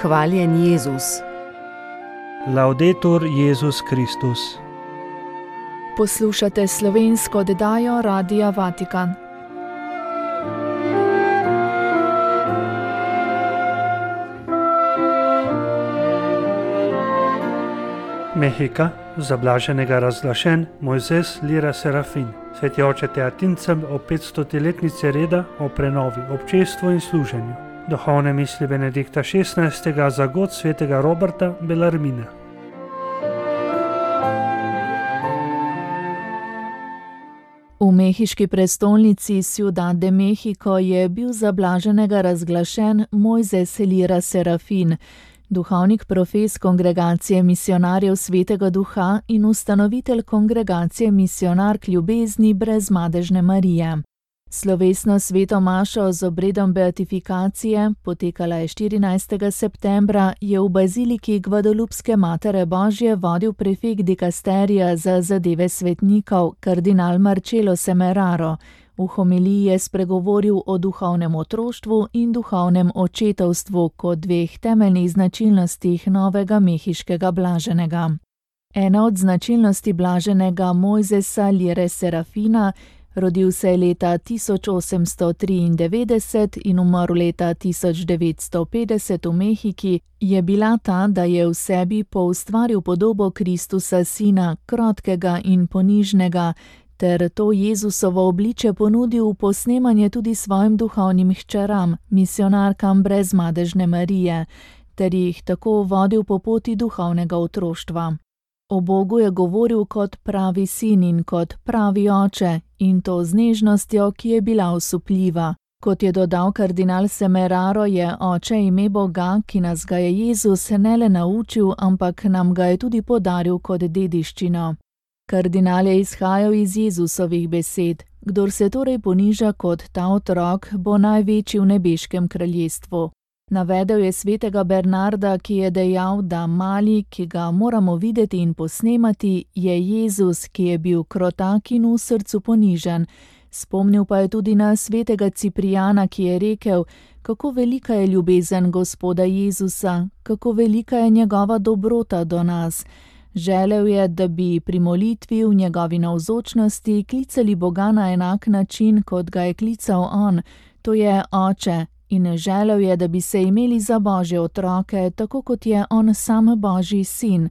Hvaljen Jezus. Laudetur Jezus Kristus. Poslušate slovensko oddajo Radia Vatikan. Mehika, za blaženega razglašen Mojzes Lira Serafin. Sveti oče Teatincem o 500-letnici reda o prenovi, občestvu in služenju. Duhovne misli Benedikta XVI za god svetega Roberta Bellarmina. V mehiški prestolnici Ciudad de México je bil za blaženega razglašen Mojzes Lira Serafin, duhovnik profes Kongregacije misionarjev Svetega Duha in ustanovitelj Kongregacije misionark ljubezni brezmadežne Marije. Slovesno sveto mašo z obredom beatifikacije, potekala je 14. septembra, je v baziliki Guadalupske Matere Božje vodil prefekt dikasterija za zadeve svetnikov, kardinal Marcelo Semeraro. V homiliji je spregovoril o duhovnem otroštvu in duhovnem očetovstvu kot dveh temeljnih značilnostih novega mehiškega blaženega. Ena od značilnosti blaženega Mojzesa Lire Serafina, rodil se je leta 1893 in umrl leta 1950 v Mehiki, je bila ta, da je v sebi poustvaril podobo Kristusa Sina, krotkega in ponižnega, ter to Jezusovo obliče ponudil v posnemanje tudi svojim duhovnim hčeram, misionarkam brezmadežne Marije, ter jih tako vodil po poti duhovnega otroštva. O Bogu je govoril kot pravi sin in kot pravi oče, in to z nežnostjo, ki je bila osupljiva. Kot je dodal kardinal Semeraro, je oče ime Boga, ki nas ga je Jezus ne le naučil, ampak nam ga je tudi podaril kot dediščino. Kardinal je izhajal iz Jezusovih besed: kdor se torej poniža kot ta otrok, bo največji v nebeškem kraljestvu. Navedel je svetega Bernarda, ki je dejal, da mali, ki ga moramo videti in posnemati, je Jezus, ki je bil krotak in v srcu ponižen. Spomnil pa je tudi na svetega Ciprijana, ki je rekel, kako velika je ljubezen Gospoda Jezusa, kako velika je njegova dobrota do nas. Želel je, da bi pri molitvi v njegovi navzočnosti klicali Boga na enak način, kot ga je klical on, to je Oče, in želel je, da bi se imeli za Božje otroke, tako kot je on sam Božji sin.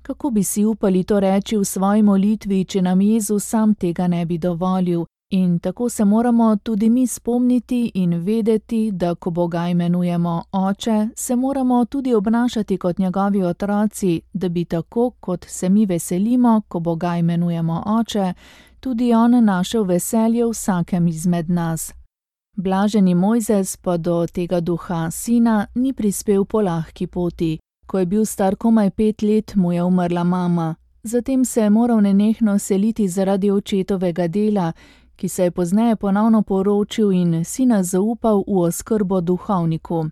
Kako bi si upali to reči v svoji molitvi, če nam Jezus sam tega ne bi dovolil? In tako se moramo tudi mi spomniti in vedeti, da ko Boga imenujemo Oče, se moramo tudi obnašati kot njegovi otroci, da bi tako, kot se mi veselimo, ko Boga imenujemo Oče, tudi on našel veselje vsakem izmed nas. Blaženi Mojzes pa do tega duha sina ni prispel po lahki poti. Ko je bil star komaj 5 let, mu je umrla mama. Zatem se je moral nenehno seliti zaradi očetovega dela, ki se je pozneje ponovno poročil in sina zaupal v oskrbo duhovniku.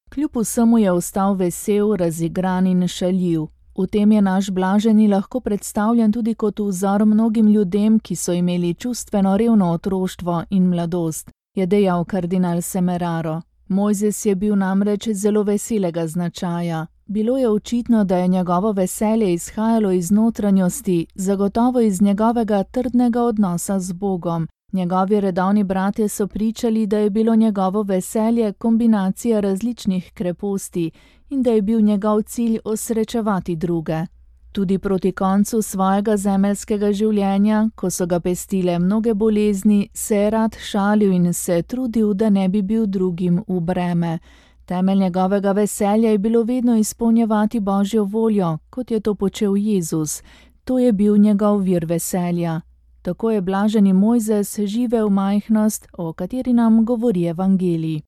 Kljub vsemu je ostal vesel, razigran in šaljiv. V tem je naš blaženi lahko predstavljen tudi kot vzor mnogim ljudem, ki so imeli čustveno revno otroštvo in mladost, je dejal kardinal Semeraro. Mojzes je bil namreč zelo veselega značaja. Bilo je očitno, da je njegovo veselje izhajalo iz notranjosti, zagotovo iz njegovega trdnega odnosa z Bogom. Njegovi redovni bratje so pričali, da je bilo njegovo veselje kombinacija različnih kreposti in da je bil njegov cilj osrečevati druge. Tudi proti koncu svojega zemeljskega življenja, ko so ga pestile mnoge bolezni, se je rad šalil in se trudil, da ne bi bil drugim v breme. Temelj njegovega veselja je bilo vedno izpolnjevati Božjo voljo, kot je to počel Jezus. To je bil njegov vir veselja. Tako je blaženi Mojzes živel majhnost, o kateri nam govori evangelij.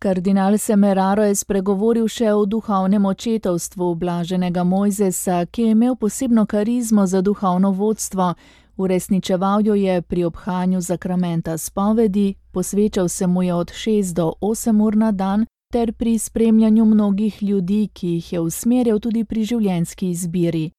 Kardinal Semeraro je spregovoril še o duhovnem očetovstvu blaženega Mojzesa, ki je imel posebno karizmo za duhovno vodstvo. Uresničeval jo je pri obhajanju zakramenta spovedi, posvečal se mu je od 6 do 8 ur na dan, ter pri spremljanju mnogih ljudi, ki jih je usmerjal tudi pri življenjski izbiri.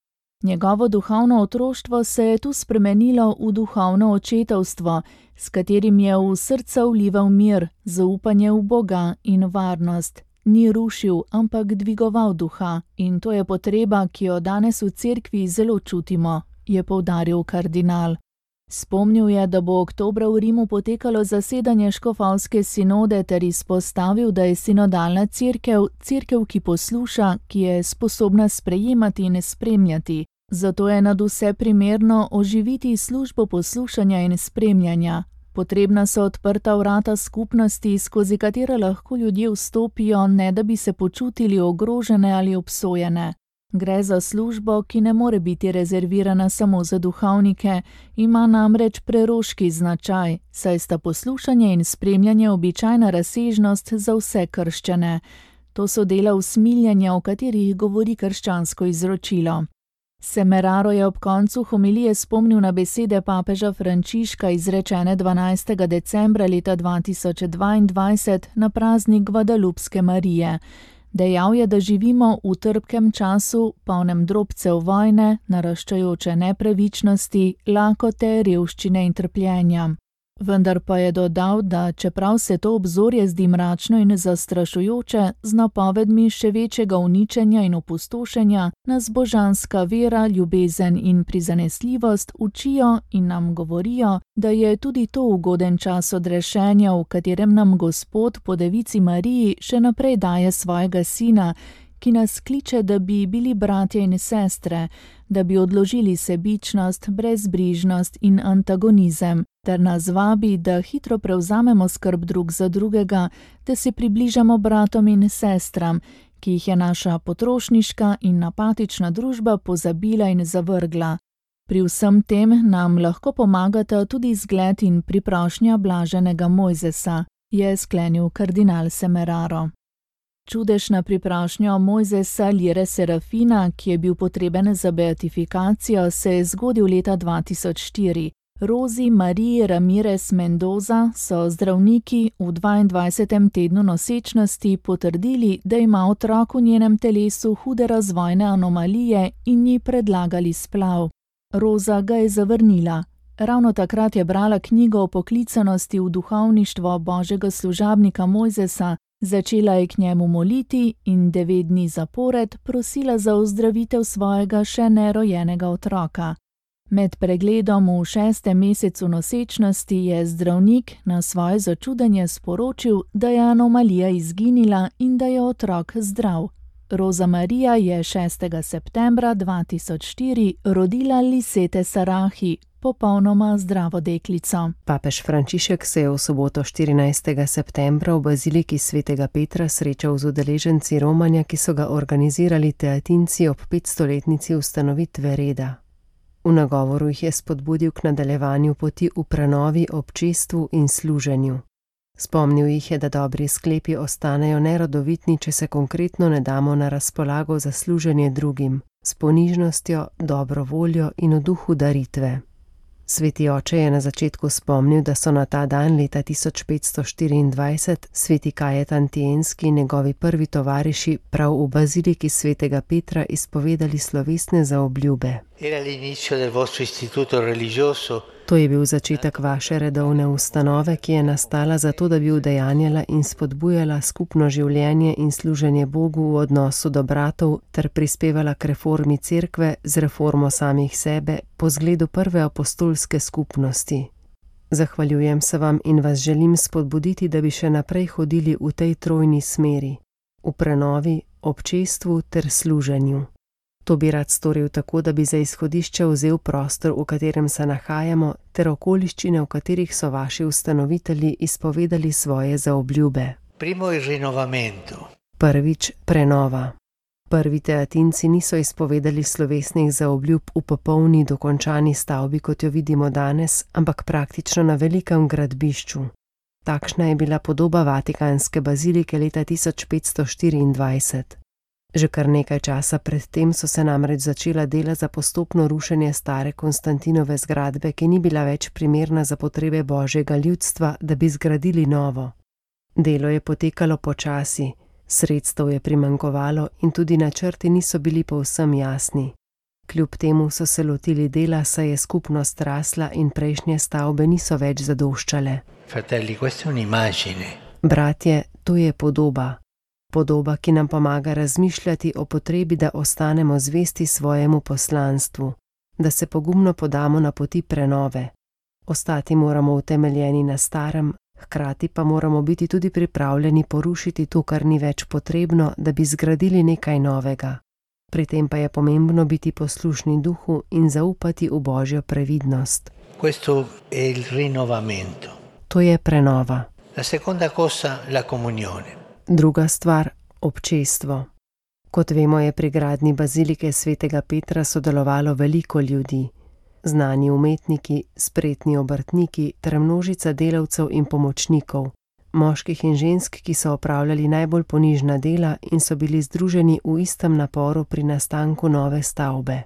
Njegovo duhovno otroštvo se je tu spremenilo v duhovno očetovstvo, s katerim je v srca vlival mir, zaupanje v Boga in varnost, ni rušil, ampak dvigoval duha, in to je potreba, ki jo danes v cerkvi zelo čutimo, je poudaril kardinal. Spomnil je, da bo oktobra v Rimu potekalo zasedanje škofovske sinode ter izpostavil, da je sinodalna cerkev, cerkev, ki posluša, ki je sposobna sprejemati in spremljati. Zato je nadvse primerno oživiti službo poslušanja in spremljanja. Potrebna so odprta vrata skupnosti, skozi katere lahko ljudje vstopijo, ne da bi se počutili ogrožene ali obsojene. Gre za službo, ki ne more biti rezervirana samo za duhovnike, ima namreč preroški značaj, saj sta poslušanje in spremljanje običajna razsežnost za vse krščane. To so dela usmiljenja, o katerih govori krščansko izročilo. Semeraro je ob koncu homilije spomnil na besede papeža Frančiška izrečene 12. decembra leta 2022 na praznik Gvadalupske Marije. Dejal je, da živimo v trpkem času, polnem drobcev vojne, naraščajoče nepravičnosti, lakote, revščine in trpljenja. Vendar pa je dodal, da čeprav se to obzorje zdi mračno in zastrašujoče, z napovedmi še večjega uničenja in opustošenja, nas božanska vera, ljubezen in prizanesljivost učijo in nam govorijo, da je tudi to ugoden čas odrešenja, v katerem nam Gospod po Devici Mariji še naprej daje svojega sina, ki nas kliče, da bi bili bratje in sestre, da bi odložili sebičnost, brezbrižnost in antagonizem, ter nas vabi, da hitro prevzamemo skrb drug za drugega, da se približamo bratom in sestram, ki jih je naša potrošniška in apatična družba pozabila in zavrgla. Pri vsem tem nam lahko pomagata tudi zgled in priprošnja blaženega Mojzesa, je sklenil kardinal Semeraro. Čudežna priprošnja Mojzesa Lire Serafina, ki je bil potreben za beatifikacijo, se je zgodil leta 2004. Rozi Mariji Ramirez Mendoza so zdravniki v 22. tednu nosečnosti potrdili, da ima otrok v njenem telesu hude razvojne anomalije in ji predlagali splav. Roza ga je zavrnila. Ravno takrat je brala knjigo o poklicanosti v duhovništvo božjega služabnika Mojzesa, začela je k njemu moliti in 9 dni zapored prosila za ozdravitev svojega še nerojenega otroka. Med pregledom v 6. mesecu nosečnosti je zdravnik na svoje začudenje sporočil, da je anomalija izginila in da je otrok zdrav. Roza Marija je 6. septembra 2004 rodila Lisete Sarahi, popolnoma zdravo deklico. Papež Frančišek se je v soboto 14. septembra v baziliki svetega Petra srečal z udeleženci romanja, ki so ga organizirali teatinci ob 500-letnici ustanovitve reda. V nagovoru jih je spodbudil k nadaljevanju poti v prenovi, občestvu in služenju. Spomnil jih je, da dobri sklepi ostanejo nerodovitni, če se konkretno ne damo na razpolago za služenje drugim, s ponižnostjo, dobro voljo in v duhu daritve. Sveti oče je na začetku spomnil, da so na ta dan leta 1524 sveti Kajetan Tienski in njegovi prvi tovariši prav v baziliki svetega Petra izpovedali slovesne zaobljube. To je bil začetek vaše redovne ustanove, ki je nastala zato, da bi udejanjala in spodbujala skupno življenje in služenje Bogu v odnosu do bratov ter prispevala k reformi cerkve z reformo samih sebe po zgledu prve apostolske skupnosti. Zahvaljujem se vam in vas želim spodbuditi, da bi še naprej hodili v tej trojni smeri, v prenovi, občestvu ter služenju. To bi rad storil tako, da bi za izhodišče vzel prostor, v katerem se nahajamo, ter okoliščine, v katerih so vaši ustanovitelji izpovedali svoje zaobljube. Prvič, prenova. Prvi teatinci niso izpovedali slovesnih zaobljub v popolni dokončani stavbi, kot jo vidimo danes, ampak praktično na velikem gradbišču. Takšna je bila podoba Vatikanske bazilike leta 1524. Že kar nekaj časa predtem so se namreč začela dela za postopno rušenje stare Konstantinove zgradbe, ki ni bila več primerna za potrebe božjega ljudstva, da bi zgradili novo. Delo je potekalo počasi, sredstev je primanjkovalo in tudi načrti niso bili povsem jasni. Kljub temu so se lotili dela, saj je skupnost rasla in prejšnje stavbe niso več zadoščale. Fratelli, questa è un'immagine. Bratje, to je podoba. podoba, ki nam pomaga razmišljati o potrebi, da ostanemo zvesti svojemu poslanstvu, da se pogumno podamo na poti prenove. Ostati moramo utemeljeni na starem, hkrati pa moramo biti tudi pripravljeni porušiti to, kar ni več potrebno, da bi zgradili nekaj novega. Pri tem pa je pomembno biti poslušni duhu in zaupati v Božjo previdnost. Questo è il rinnovamento. To je prenova. La seconda cosa, la comunione. Druga stvar, občestvo. Kot vemo, je pri gradnji bazilike svetega Petra sodelovalo veliko ljudi. Znani umetniki, spretni obrtniki ter množica delavcev in pomočnikov, moških in žensk, ki so opravljali najbolj ponižna dela in so bili združeni v istem naporu pri nastanku nove stavbe.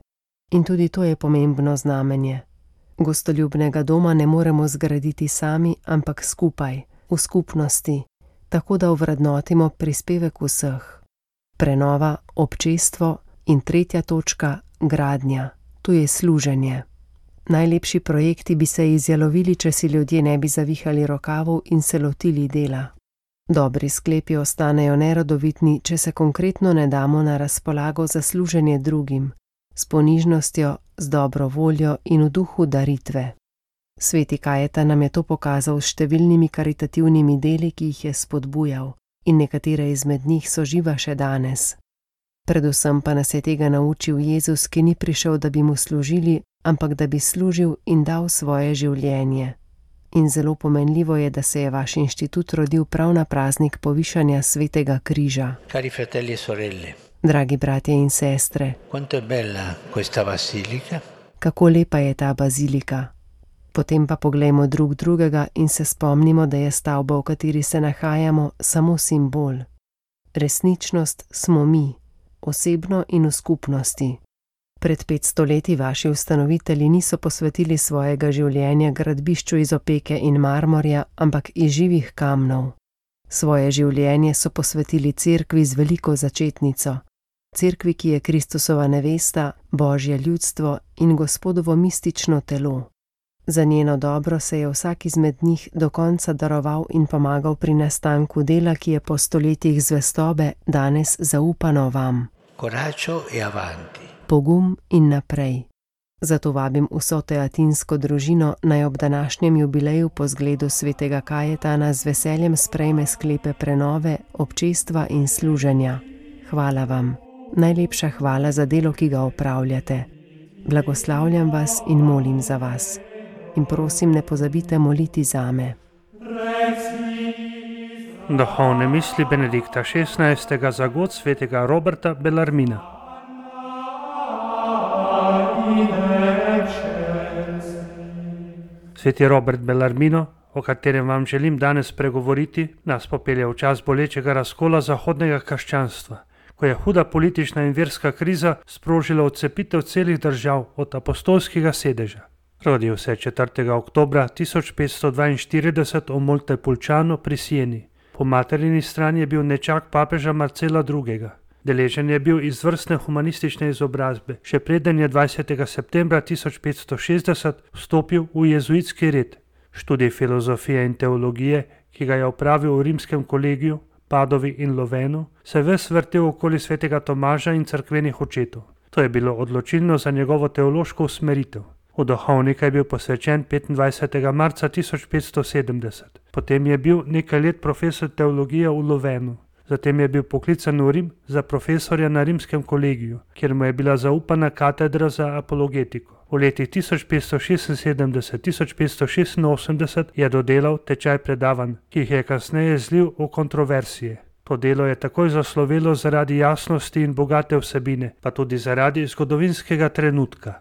In tudi to je pomembno znamenje. Gostoljubnega doma ne moremo zgraditi sami, ampak skupaj, v skupnosti, tako da ovrednotimo prispevek vseh. Prenova, občestvo in tretja točka, gradnja. Tu je služenje. Najlepši projekti bi se izjalovili, če si ljudje ne bi zavihali rokavov in se lotili dela. Dobri sklepi ostanejo nerodovitni, če se konkretno ne damo na razpolago za služenje drugim, s ponižnostjo, z dobro voljo in v duhu daritve. Sveti Kajetan nam je to pokazal s številnimi karitativnimi deli, ki jih je spodbujal, in nekatere izmed njih so živa še danes. Predvsem pa nas je tega naučil Jezus, ki ni prišel, da bi mu služili, ampak da bi služil in dal svoje življenje. In zelo pomenljivo je, da se je vaš inštitut rodil prav na praznik povišanja svetega križa. Cari fratelli e sorelle. Dragi bratje in sestre, Quanto è bella questa basilica. kako lepa je ta bazilika. Potem pa poglejmo drug drugega in se spomnimo, da je stavba, v kateri se nahajamo, samo simbol. Resničnost smo mi, osebno in v skupnosti. Pred 500 leti vaši ustanovitelji niso posvetili svojega življenja gradbišču iz opeke in marmorja, ampak iz živih kamnov. Svoje življenje so posvetili cerkvi z veliko začetnico. Cerkvi, ki je Kristusova nevesta, Božje ljudstvo in Gospodovo mistično telo. Za njeno dobro se je vsak izmed njih do konca daroval in pomagal pri nastanku dela, ki je po stoletjih zvestobe danes zaupano vam. Coraggio e avanti. Pogum in naprej. Zato vabim vso teatinsko družino, naj ob današnjem jubileju po zgledu svetega Kajetana z veseljem sprejme sklepe prenove, občestva in služenja. Hvala vam. Najlepša hvala za delo, ki ga opravljate. Blagoslavljam vas in molim za vas. In prosim, ne pozabite moliti zame. Duhovne misli Benedikta XVI. Za god svetega Roberta Bellarmina. Sveti Robert Bellarmino, o katerem vam želim danes pregovoriti, nas popelje v čas bolečega razkola zahodnega krščanstva, ko je huda politična in verska kriza sprožila odcepitev celih držav od apostolskega sedeža. Rodil se je 4. oktobra 1542 v Montepulciano pri Sieni. Po materini strani je bil nečak papeža Marcela II. Deležen je bil izvrstne humanistične izobrazbe, še preden je 20. septembra 1560 vstopil v jezuitski red. Študij filozofije in teologije, ki ga je opravil v rimskem kolegiju, Padovi in Lovenu, se ves vrtel okoli svetega Tomaža in cerkvenih očetov. To je bilo odločilno za njegovo teološko usmeritev. V duhovnika je bil posvečen 25. marca 1570. Potem je bil nekaj let profesor teologije v Lovenu. Zatem je bil poklican v Rim za profesorja na rimskem kolegiju, kjer mu je bila zaupana katedra za apologetiko. V letih 1576-1586 je dodelal tečaj predavanj, ki jih je kasneje zlil v kontroverzije. To delo je takoj zaslovelo zaradi jasnosti in bogate vsebine, pa tudi zaradi zgodovinskega trenutka.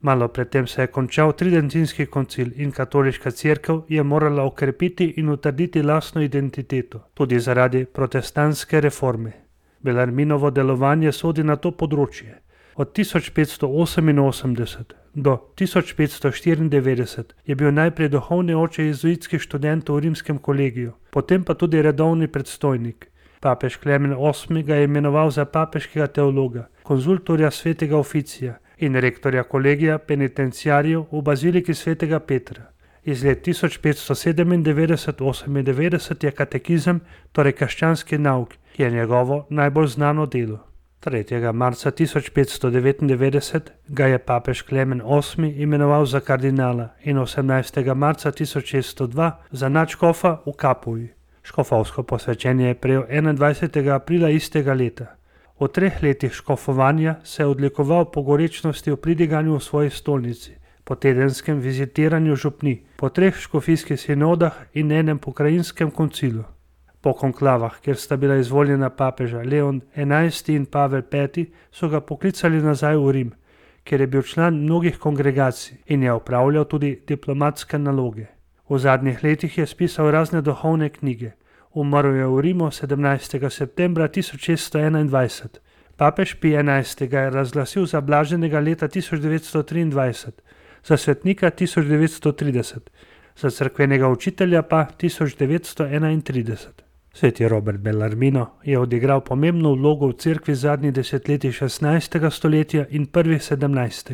Malo predtem se je končal Tridentinski koncil in katoliška cerkev je morala okrepiti in utrditi lastno identiteto, tudi zaradi protestantske reforme. Bellarminovo delovanje sodi na to področje. Od 1588 do 1594 je bil najprej duhovni oče jezuitskih študentov v rimskem kolegiju, potem pa tudi redovni predstojnik. Papež Klemen VIII. Ga je imenoval za papeškega teologa, konzultorja svetega oficija in rektorja kolegija penitenciarjev v baziliki svetega Petra. Iz let 1597-98 je katekizem, torej krščanski nauk, ki je njegovo najbolj znano delo. 3. marca 1599 ga je papež Klemen VIII imenoval za kardinala in 18. marca 1602 za nadškofa v Kapuji. Škofovsko posvečenje je prejel 21. aprila istega leta. V 3 letih škofovanja se je odlikoval po gorečnosti v pridiganju v svoji stolnici, po tedenskem vizitiranju župni, po 3 škofijskih sinodah in enem pokrajinskem koncilu. Po konklavah, kjer sta bila izvoljena papeža Leon XI in Pavel V, so ga poklicali nazaj v Rim, kjer je bil član mnogih kongregacij in je opravljal tudi diplomatske naloge. V zadnjih letih je spisal razne duhovne knjige. Umrl je v Rimu 17. septembra 1621. Papež Pij XI ga je razglasil za blaženega leta 1923, za svetnika 1930, za cerkvenega učitelja pa 1931. Sveti Robert Bellarmino je odigral pomembno vlogo v cerkvi zadnjih desetletij 16. stoletja in prvih 17.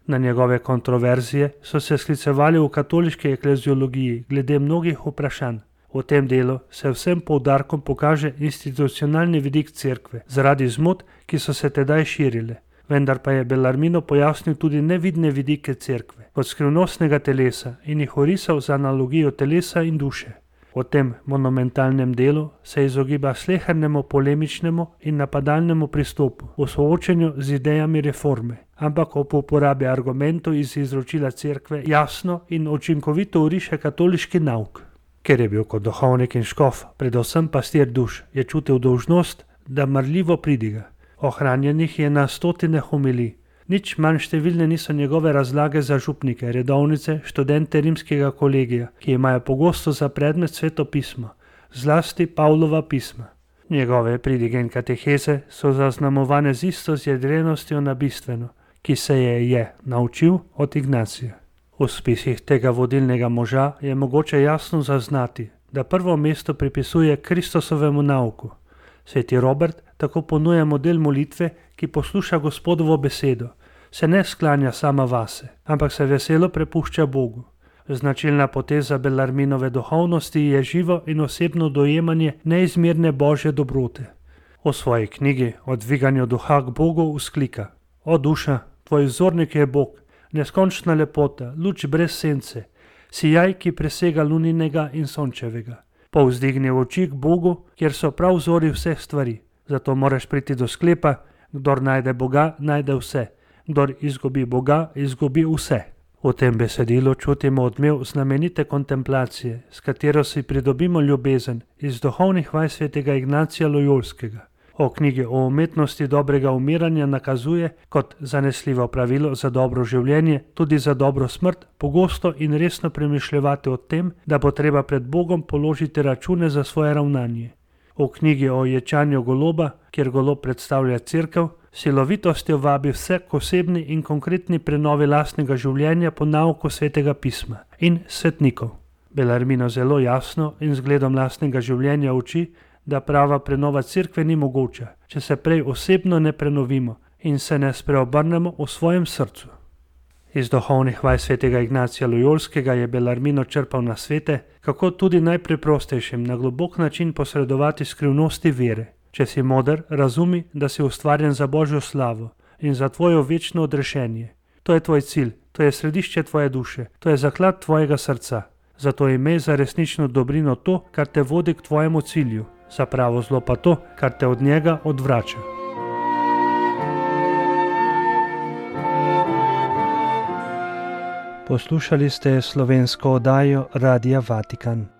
Na njegove kontroverzije so se sklicevali v katoliški ekleziologiji glede mnogih vprašanj. V tem delu se vsem poudarkom pokaže institucionalni vidik cerkve zaradi zmot, ki so se tedaj širile. Vendar pa je Bellarmino pojasnil tudi nevidne vidike cerkve, kot skrivnostnega telesa in jih orisal za analogijo telesa in duše. V tem monumentalnem delu se izogiba slehernemu polemičnemu in napadalnemu pristopu v soočenju z idejami reforme, ampak ob uporabi argumentov iz izročila cerkve jasno in učinkovito oriše katoliški nauk. Ker je bil kot duhovnik in škof, predvsem pastir duš, je čutil dolžnost, da marljivo pridiga. Ohranjenih je na stotine homilij. Nič manj številne niso njegove razlage za župnike, redovnice, študente rimskega kolegija, ki imajo pogosto za predmet Sveto pismo, zlasti Pavlova pisma. Njegove pridige in kateheze so zaznamovane z isto zjedrenostjo na bistveno, ki se je naučil od Ignacija. V spisih tega vodilnega moža je mogoče jasno zaznati, da prvo mesto pripisuje Kristusovemu nauku. Sveti Robert tako ponuja model molitve, ki posluša Gospodovo besedo, se ne sklanja sama vase, ampak se veselo prepušča Bogu. Značilna poteza Bellarminove duhovnosti je živo in osebno dojemanje neizmerne božje dobrote. V svoji knjigi O dviganju duha k Bogu vzklika: O duša, tvoj vzornik je Bog, neskončna lepota, luč brez sence, sijaj, ki presega luninega in sončevega. Povzdigni oči k Bogu, kjer so prav vzori vseh stvari. Zato moraš priti do sklepa: kdor najde Boga, najde vse. Kdor izgubi Boga, izgubi vse. V tem besedilu čutimo odmev znamenite kontemplacije, s katero si pridobimo ljubezen iz duhovnih vaj svetega Ignacija Lojolskega. O knjigi o umetnosti dobrega umiranja nakazuje kot zanesljivo pravilo za dobro življenje, tudi za dobro smrt, pogosto in resno premišljevati o tem, da bo treba pred Bogom položiti račune za svoje ravnanje. V knjigi o ječanju goloba, kjer golob predstavlja cerkev, silovitostjo vabi vse k osebni in konkretni prenovi lastnega življenja po nauku Svetega pisma in svetnikov. Bellarmino zelo jasno in zgledom lastnega življenja uči, da prava prenova cerkve ni mogoča, če se prej osebno ne prenovimo in se ne spreobrnemo v svojem srcu. Iz duhovnih vaj svetega Ignacija Lojolskega je Bellarmino črpal nasvete, kako tudi najpreprostejšim na globok način posredovati skrivnosti vere. Če si moder, razumi, da si ustvarjen za Božjo slavo in za tvojo večno odrešenje. To je tvoj cilj, to je središče tvoje duše, to je zaklad tvojega srca. Zato imej za resnično dobrino to, kar te vodi k tvojemu cilju, za pravo zlo pa to, kar te od njega odvrača. Poslušali ste slovensko oddajo Radia Vatikan.